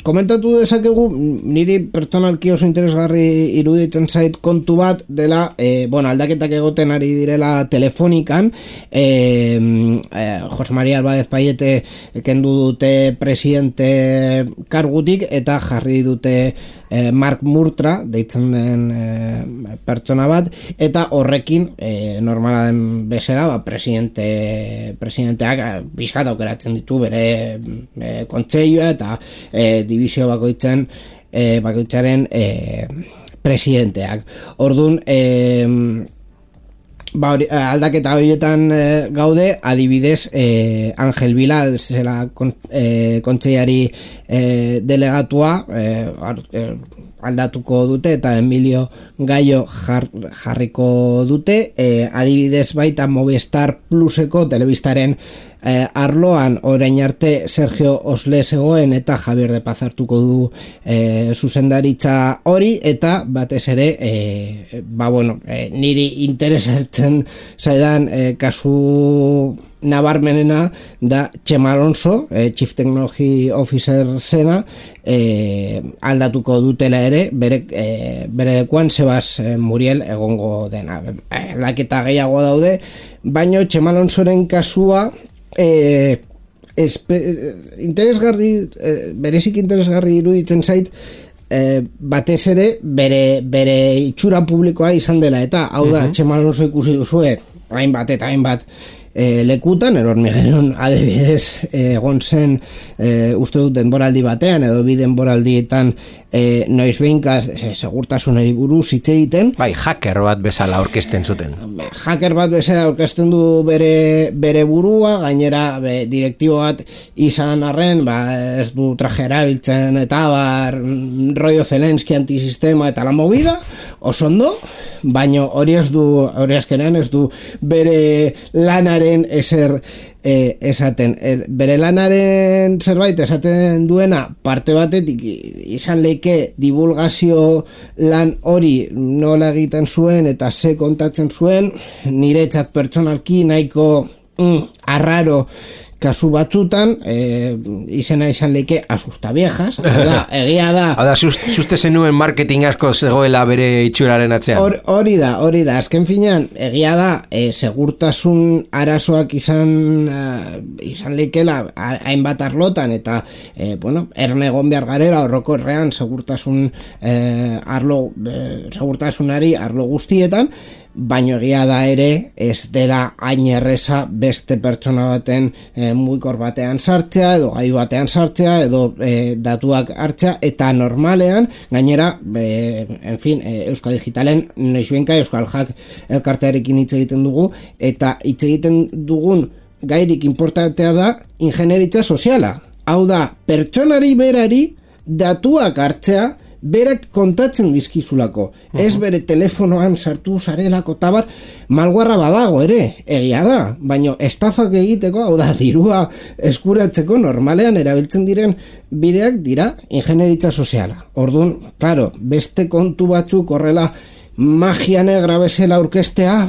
komentatu dezakegu, niri pertsonalki oso interesgarri iruditzen zait kontu bat dela, aldaketak egoten ari direla telefonikan, Jose María Álvarez Payete kendu dute presidente kargutik eta jarri dute Mark Murtra deitzen den pertsona bat, eta horrekin normala den bezala presidenteak bizkat aukeratzen ditu bere kontseilua eta divisio bakoitzaren presidenteak. Orduan, aldaketa horietan gaude, adibidez Ángel Vila zela kontseilari delegatua aldatuko dute eta Emilio Gallo jarriko dute, adibidez baita Movistar Pluseko telebistaren arloan orain arte Sergio Osle zegoen eta Javier de Paz hartuko du zuzendaritza hori, eta batez ere niri interesatzen zaidan kasu nabarmenena da Txema Alonso, Chief Technology Officer zena, aldatuko dutela ere bere lekuan Sebas Muriel egongo dena. Aldaketa gehiago daude, baina Txema Alonsoren kasua berezik interesgarri iruditzen zait, batez ere bere itxura publikoa izan dela, eta hau da, Txema Alonso ikusi duzue hainbat eta hainbat lekutan, Hormigueron adibidez egon zen uste dut denboraldi batean edo bi denboraldietan noiz behinka segurtasunari buruz hitz egiten.
Bai, hacker bat bezala aurkezten zuten.
Hacker bat bezala aurkezten du bere burua, gainera direktibo bat izan arren, ez du traje erabiltzen eta rollo Zelensky antisistema eta la movida, oso ondo, baina hori azkenean ez du bere lanaren ezer esaten. Bere lanaren zerbait esaten duena parte batetik izan leike divulgazio lan hori nola egiten zuen eta ze kontatzen zuen, niretzat pertsonalki nahiko arraro kasu batzutan, izena izan leike asusta viejas, egia da.
Hau da, suste zenuen marketing asko zegoela bere itxuraren atzean.
Hori da, azken finean, egia da, segurtasun arazoak izan leikela hainbat arlotan, eta, erne egon behar garela, orokorrean segurtasunari arlo guztietan, baino egia da ere ez dela hain erreza beste pertsona baten mugikor batean sartzea edo gailu batean sartzea edo datuak hartzea, eta normalean gainera Euskal Digitalen noizbenka Euskal Hack elkartearekin hitz egiten dugu, eta hitz egiten dugun gairik importantea da ingenieritza soziala, hau da pertsonari berari datuak hartzea berak kontatzen dizkizulako, ez bere telefonoan sartu zarelako tabar, malguarra badago ere, egia da, baina estafak egiteko, hau da, dirua eskuratzeko normalean erabiltzen diren bideak dira ingenieritza soziala. Orduan, claro, beste kontu batzuk horrela magia negra bezala aurkeztea,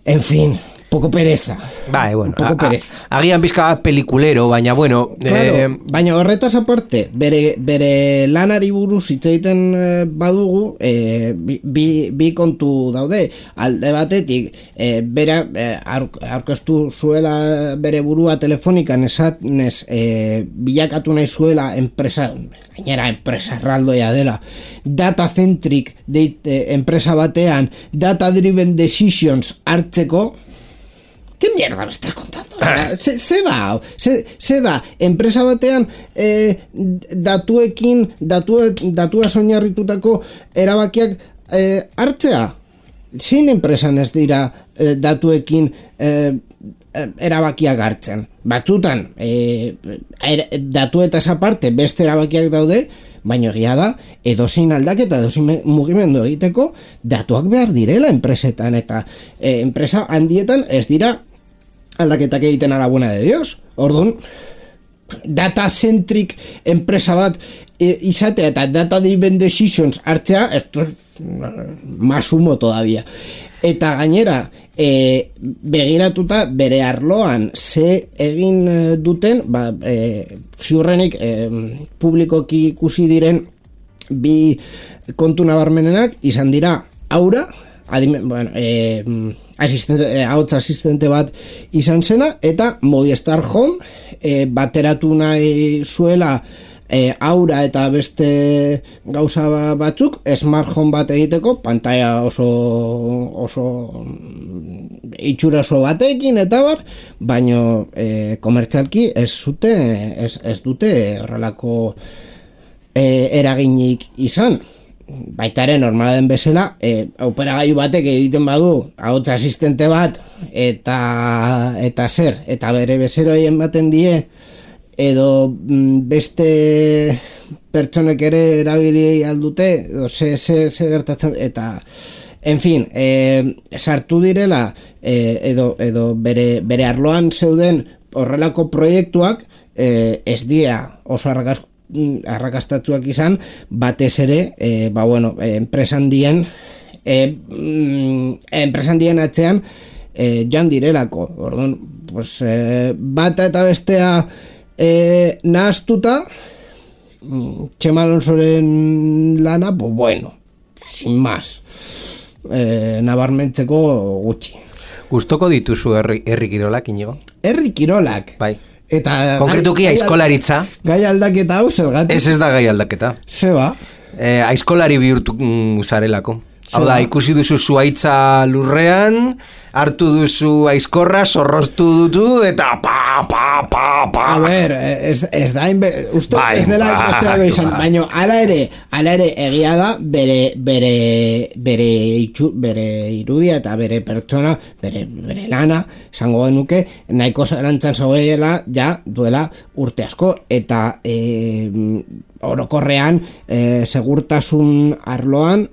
en fin, poco pereza.
Bai, bueno,
poco pereza.
Agian bizka pelikulero, baina bueno...
Claro, baina horretaz aparte, bere lanari buruz hitz egiten badugu, bi kontu daude. Alde batetik, bera aurkeztu zuela bere burua telefonikan esatenez, bilakatu nahi zuela enpresa, gainera enpresa erraldoia dela, data-centric enpresa batean, data-driven decisions hartzeko. ¿Qué mierda me estás contando? Se da, enpresa batean datua soinarritutako erabakiak hartzea. Zein enpresan ez dira datuekin erabakiak hartzen. Batzutan, datuetaz aparte beste erabakiak daude, baina egia da, edozein aldaketa, edozein mugimendu egiteko datuak behar direla enpresetan, eta enpresa handietan ez dira aldaketak egiten a la buena de Dios. Orduan, data-centric enpresa bat izatea eta data-driven decisions hartzea, esto es más humo todavía. Eta gainera, begiratuta bere arloan ze egin duten, ziurrenik publikoki ikusi diren bi kontu nabarmenenak izan dira Aura, ahots asistente bat izan zena, eta Movistar Home bateratu nahi zuela Aura eta beste gauza batzuk Smart Home bat egiteko, pantalla oso itxura oso batekin eta bar, baino komertzialki ez dute horrelako eraginik izan. Baita ere normala den bezala, operagailu batek egiten badu ahots asistente bat eta zer, eta bere bezeroei ematen die edo beste pertsonek ere erabili aldute edo ze gertatzen, eta en fin, sartu direla edo bere arloan zeuden horrelako proiektuak ez dira oso arrakastatzuak izan, batez ere enpresan dien atzean joan direlako. Orduan, pues, bata eta bestea nahaztuta, Txema Alonsoren lana, pues bueno, sin más, nabarmentzeko gutxi.
Gustoko dituzu herri kirolak, Inigo?
Herri kirolak?
Bai.
Eta
konkretuki aizkolaritza.
Gai aldaketa hau zergatik?
Ez da gai aldaketa.
Zeba?
Aizkolari bihurtu zarelako. Hau da, ikusi duzu zuaitza lurrean, hartu duzu aizkorra, zorroztu dutu, eta
A ber, ez da, uste ez dela ikostela izan, baina ala ere egia da bere irudia eta bere pertsona, bere lana, esango genuke, nahiko zarantzan zauela, ja, duela urte asko, eta orokorrean segurtasun arloan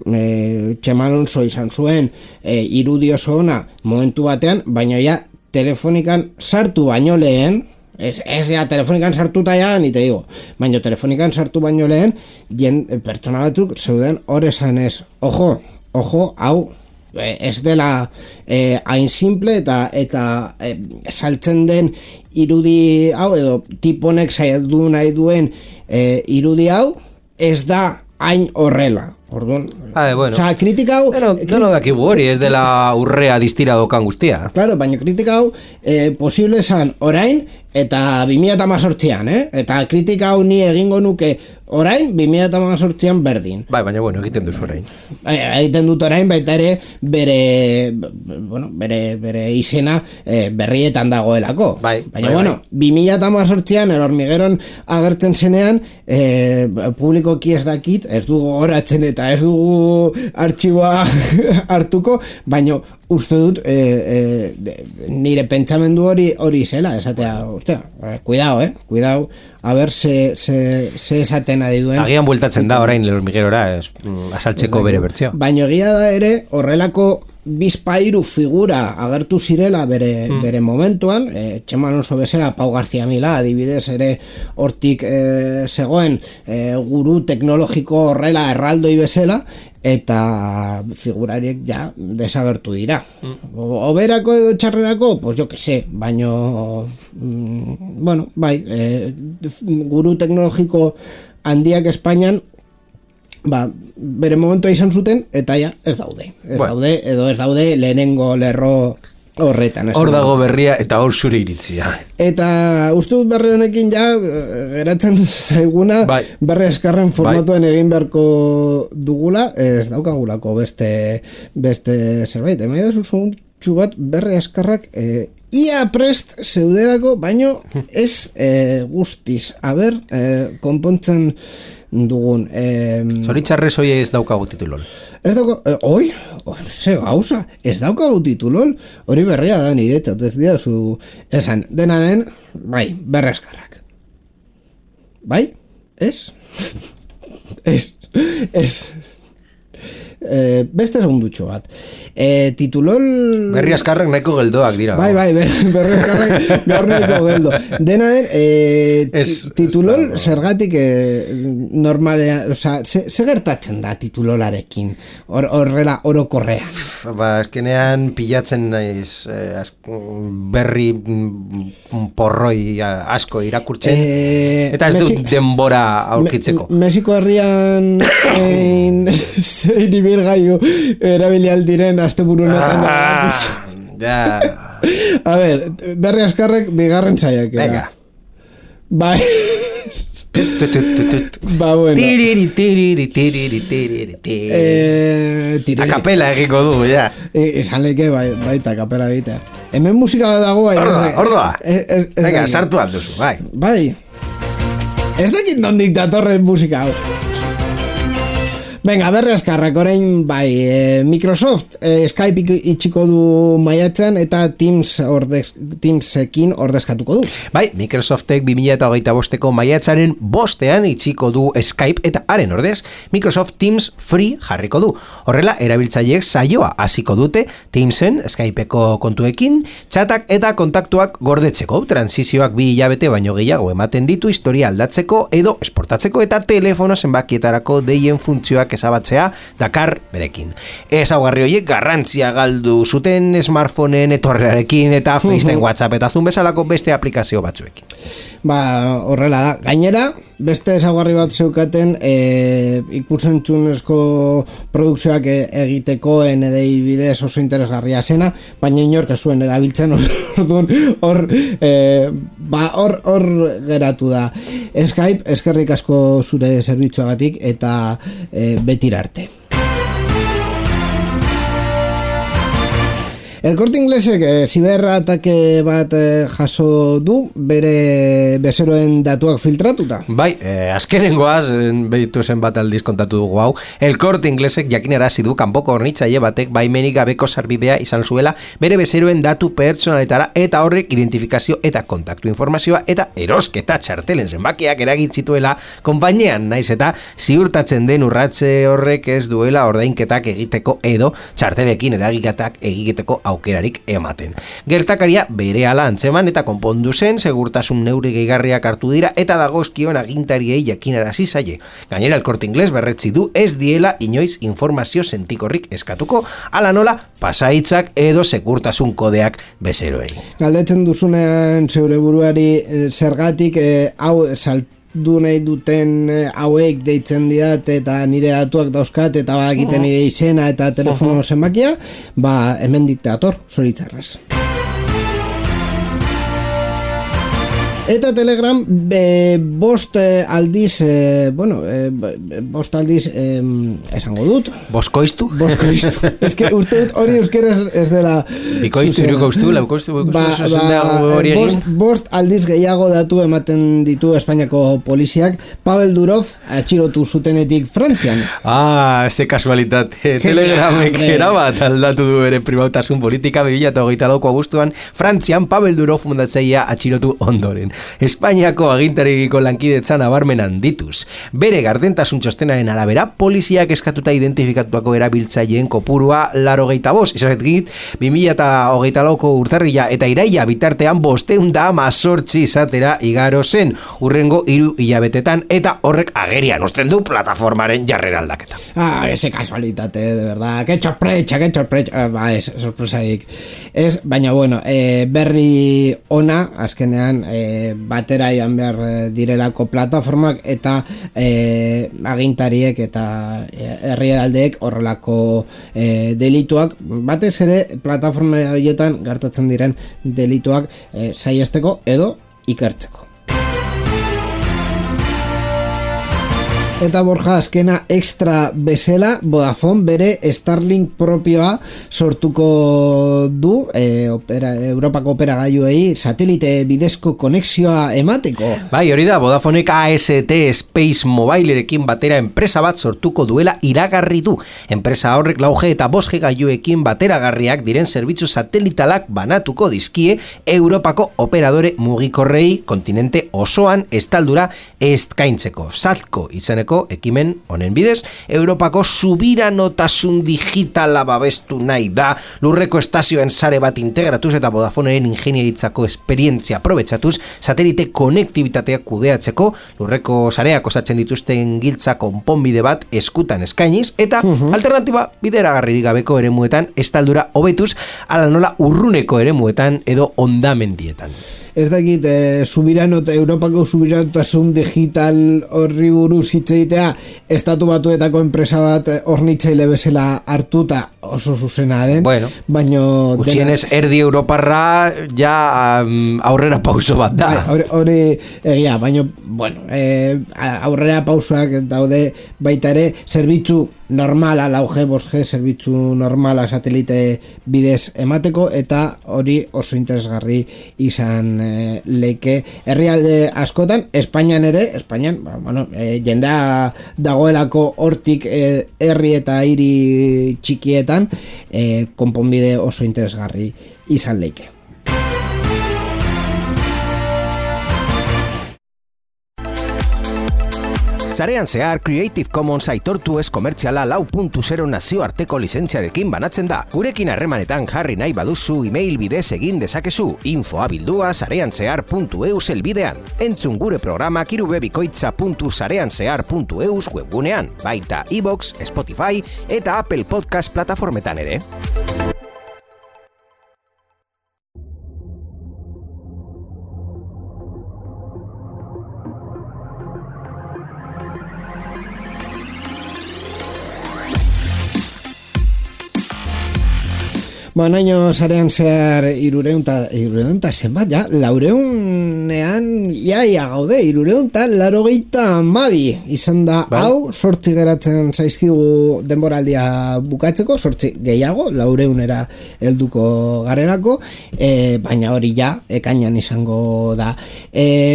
Txema Alonso izan zuen irudi oso ona momentu batean, baina ja telefonikan sartu baino lehen, ez ja telefonikan sartuta ja, ni te digo, baina telefonikan sartu baino lehen, pertsona batzuk zeuden hor esan ez, ojo, hau ez dela hain simple eta saltzen den irudi hau edo tiponek saiatu nahi duen irudi hau ez da hain horrela. Orduan,
bueno.
Osea, kritika hau...
Deno dakigu hori, ez dela urrea distira dokan guztia.
Claro, baina kritika hau posible esan orain eta 2018an, Eta kritika hau ni egingo nuke orain 2018an berdin.
Bai, baina bueno, egiten duzu orain.
Egiten dut orain, baita ere bere izena berrietan dagoelako. Baina bueno, 2018an Hormigueron agertzen zenean publikoki ez dakit, ez dugu goratzen eta ez dugu artxiboa hartuko, baino uste dut nire pentsamendu hori zela, esatea, cuidao, a ber se esaten ari duen.
Agian bueltatzen da orain Hormiguerora, asaltzeko bere bertzio.
Baina egia da ere horrelako bizpairu figura agertu zirela bere momentuan, Txema Alonso bezala, Pau García Milá adibidez ere hortik zegoen guru teknologiko horrela erraldoi bezala, eta figurariek ja desagertu dira. Oberako edo txarrerako, pues jo que sé, baino bueno, bai, guru teknologiko handiak Espainian bere momentua izan zuten, eta ja, ez daude lehenengo lerro horretan.
Hor dago berria eta hor zure iritzia.
Eta uste dut berri honekin ja geratzen zaiguna berri eskarren formatuan egin beharko dugula, ez daukagulako beste zerbait. Emaida zuzun bat berri eskarrak ia prest zeuderako, baino ez guztiz. A ber, konpontzen dugun.
Zoritxarrez hoi ez daukagu titulol.
Ez daukagu, ze gauza, ez daukagu titulol, hori berria da niretzat, ez dira zu esan, dena den, bai, berrezkarrak. Bai? Ez? Ez. beste segundutxo bat. Titulol...
Berri askarrak nahiko geldoak dira.
Bai, berri askarrak gaur nahiko geldo. Dena den, titulol zergatik normalea, oza, ze gertatzen da titulolarekin? Horrela, orokorrean.
Ba, eskenean pilatzen naiz berri porroi asko irakurtzen, eta ez dut denbora aurkitzeko.
Mexiko herrian zein ibilgailu erabilialdiren asteburunetan
ja.
A ver, berri askarrek bigarren saiak.
Venga.
Bai. Ba, bueno.
Akapela egiko du, ja.
Esan leke baita akapela egitea. Hemen musika dago bai.
Ordoa. Venga, sartu alduzu, bai.
Bai. Ez dakit nondik datorren musika hau. Venga, berri askarrak, orain bai, Microsoft Skype itxiko du maiatzen eta Teamsekin ordezkatuko du.
Bai, Microsoftek 2025ko maiatzaren 5ean itxiko du Skype eta haren ordez Microsoft Teams Free jarriko du. Horrela, erabiltzaileek saioa hasiko dute Teamsen Skypeko kontuekin, txatak eta kontaktuak gordetzeko, transizioak 2 hilabete baino gehiago ematen ditu historia aldatzeko edo esportatzeko eta telefono zenbakietarako deien funtzioak ezabatzea dakar berekin. Ezaugarri horiek garrantzia galdu zuten smartphoneen etorrearekin eta FaceTime, WhatsApp eta Zoom bezalako beste aplikazio batzuekin.
Ba, horrela da. Gainera, beste ezaugarri bat zeukaten ikusentzunezko produkzioak egiteko NDI bidez oso interesgarria zena, baina inork ez zuen erabiltzen hor geratu da. Skype, eskerrik asko zure zerbitzuagatik eta betirarte. El Corte Inglesek ziberratake bat jaso du bere bezeroen datuak filtratuta.
Bai, azkenengoaz beditu zen bat aldiz kontatu dugu hau. El Corte Inglesek jakinarazi du kanpoko hornitzaile batek baimenik gabeko sarbidea izan zuela bere bezeroen datu pertsonaletara eta horrek identifikazio eta kontaktu informazioa eta erosketa txartelen zenbakiak eragin zituela konpainian, naiz eta ziurtatzen den urratze horrek ez duela ordainketak egiteko edo txartelekin eragiketak egiteko aukerarik ematen. Gertakaria berehala antzeman eta konpondu zen, segurtasun neurri gehigarriak hartu dira eta dagozkion agintariei jakinarazi zaie. Gainera, El Corte Inglés berretzi du ez diela inoiz informazio sentikorrik eskatuko, ala nola pasaitzak edo segurtasun kodeak bezeroei.
Galdetzen duzunean zeure buruari zergatik hau du nahi duten hauek deitzen didat eta nire datuak dauzkat eta egiten nire izena eta telefono zenbakia, ba hemen diktator, zoritzarrez. Eta Telegram bost aldiz esango dut.
Boskoiztu?
Boskoiztu. Ez que uste dut hori euskeraz ez dela...
Bikoiztu, irukoiztu, laukoiztu,
bost aldiz gehiago datu ematen ditu Espainiako poliziak Pavel Durov atxilotu zutenetik Frantzian.
Ze kasualitate. Telegramek erabat aldatu du ere pribautasun politika 2024ko abuztuan Frantzian Pavel Durov fundatzailea atxilotu ondoren. Espainiako agintarikiko lankidetzan nabarmenan dituz. Bere gardentasun txostenaren arabera, poliziak eskatuta identifikatuako erabiltzaileen kopurua 85. Izatetik, 2024ko urtarrila eta iraila bitartean 518 izatera igaro zen, urrengo 3 hilabetetan eta horrek agerian uzten du plataformaren jarrera aldaketa.
Ese casualitate, de verdad. Que sorpresa. Ez, sorpresarik. Ez, baina bueno, berri ona, azkenean, batera ian behar direlako plataformak eta agintariek eta herrialdeek horrelako delituak, batez ere plataforma horietan gertatzen diren delituak saihesteko edo ikertzeko. Eta Borja, azkena extra bezala Vodafone bere Starlink propioa sortuko du Europako operagailuei satelite bidezko konexioa emateko.
Bai, hori da, Vodafonek AST Space Mobilerekin batera enpresa bat sortuko duela iragarri du. Enpresa horrek 4G eta 5G gailuekin bateragarriak diren zerbitzu satelitalak banatuko dizkie Europako operadore mugikorrei kontinente osoan estaldura eskaintzeko. Satko izeneko egiteko ekimen honen bidez, Europako subiranotasun digitala babestu nahi da, lurreko estazioen sare bat integratuz eta Vodafoneren ingenieritzako esperientzia aprobetxatuz, satelite konektibitatea kudeatzeko, lurreko sareak osatzen dituzten giltza konponbide bat eskutan eskainiz, eta alternatiba bideragarririk gabeko eremuetan estaldura hobetuz, ala nola urruneko eremuetan edo hondamendietan.
Ez dakit, Europako subiranotasun digital horri buruz hitz egitea, estatu batuetako enpresa bat hornitzaile bezala hartuta oso zuzena den,
bueno,
baino
gutxienez erdi Europarra ja aurrera pauso bat da.
Hori egia, baino bueno, aurrera pausoak daude baita ere, zerbitzu normala, lau G, 5G, zerbitzu normala satelite bidez emateko, eta hori oso interesgarri izan leike herrialde askotan, Espainian ere, bueno, jendea dagoelako hortik herri eta hiri txikietan, konponbide oso interesgarri izan leike.
Sarean zehar Creative Commons aitortu ez komertziala 4.0 nazioarteko lizentziarekin banatzen da. Gurekin harremanetan jarri nahi baduzu email bidez egin dezakezu, info@sareanzehar.eus elbidean. Entzun gure programak irubebikoitza.sareanzehar.eus webgunean, baita iVoox, Spotify eta Apple Podcast plataformetan ere.
Naino sarean zehar 300 zenbat, ja, 400ean iaia gaude, 382 izan da, hau, 8 geratzen zaizkigu denboraldia bukatzeko, 8 gehiago, 400era helduko garelako, baina hori ja, ekainan izango da.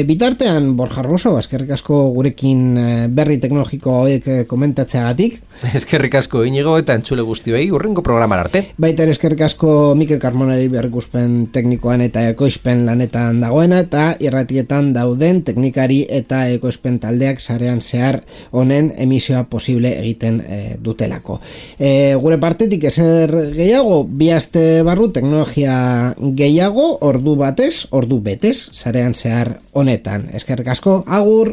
Bitartean, Borja Arboso, eskerrik asko gurekin berri teknologiko hauek komentatzeagatik.
Eskerrik asko Inigo eta entzule guztioi urrengo programan arte.
Baita ere eskerrik asko Mikel Carmonari berrikuspen teknikoan eta ekoizpen lanetan dagoena, eta irratietan dauden teknikari eta ekoizpen taldeak sarean zehar honen emisioa posible egiten dutelako. Gure partetik ezer gehiago, 2 aste barru teknologia gehiago, ordu batez, ordu betez sarean zehar honetan. Eskerrik asko, agur!